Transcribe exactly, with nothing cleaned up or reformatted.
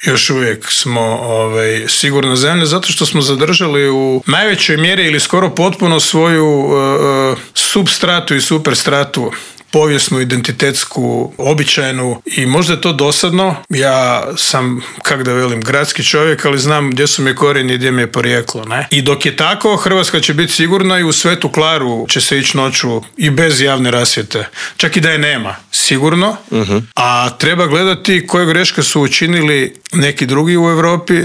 još uvijek smo ovaj, sigurna zemlja zato što smo zadržali u najvećoj mjeri ili skoro potpuno svoju uh, substratu i superstratu, povijesnu, identitetsku, običajnu i možda je to dosadno. Ja sam, kak da velim, gradski čovjek, ali znam gdje su mi korijeni i gdje mi je porijeklo. Ne? I dok je tako, Hrvatska će biti sigurna i u Svetu Klaru će se ići noću i bez javne rasvjete. Čak i da je nema, sigurno. Uh-huh. A treba gledati koje greške su učinili neki drugi u Europi